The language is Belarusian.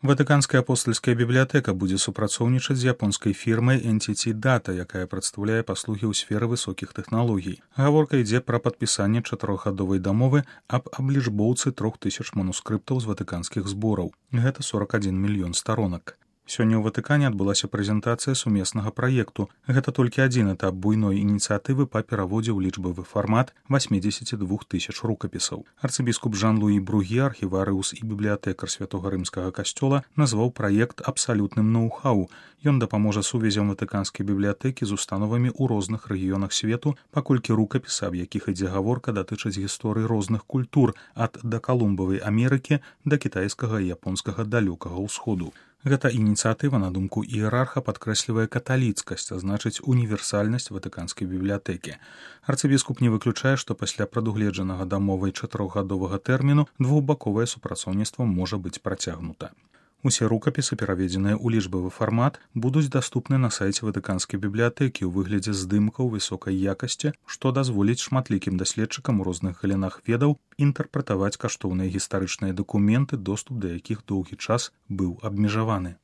Ватыканская апостальская бібліятэка будзе супрацоўнічаць з японскай фірмай Entity Data, якая прадстаўляе паслугі ў сферы высокіх тэхналогій. Гаворка ідзе пра падпісанне 4гадовай дамовы аб аблічбоўцы 3000 манускрыптаў з ватыканскіх збораў. Гэта 41 мільён старонак. Сёння ў Ватыкане адбылася прэзентацыя сумеснага праекту. Гэта толькі адзін этап буйной ініцыятывы па пераводзе ў лічбавы фармат 82 000 рукапісаў. Арцыбіскуп Жан-Луі Бругі, архіварыус і бібліятэкар Святога Рымскага касцёла, назваў праект абсалютным ноу-хау. Ён дапаможа сувязям ватыканскай бібліятэкі з установамі ў розных рэгіёнах свету, паколькі рукапісы, аб якіх ідзе гаворка, датычаць гісторыі розных культур, ад дакалумбавай Амерыкі да кітайскага і японскага далёкага ўсходу. Гэта ініцыятыва, на думку іерарха, падкрэслівае каталіцкасць, а значыць універсальнасць ватыканскай бібліятэкі. Арцыбіскуп не выключае, што пасля прадугледжанага дамовай 4гадовага тэрміну двухбаковае супрацоўніцтва можа быць працягнута. Усе рукапісы, пераведзеныя ў лічбавы фармат, будуць даступны на сайце ватыканскай бібліятэкі ў выглядзе здымкаў высокай якасці, што дазволіць шматлікім даследчыкам у розных галінах ведаў інтэрпрэтаваць каштоўныя гістарычныя дакументы, доступ да якіх доўгі час быў абмежаваны.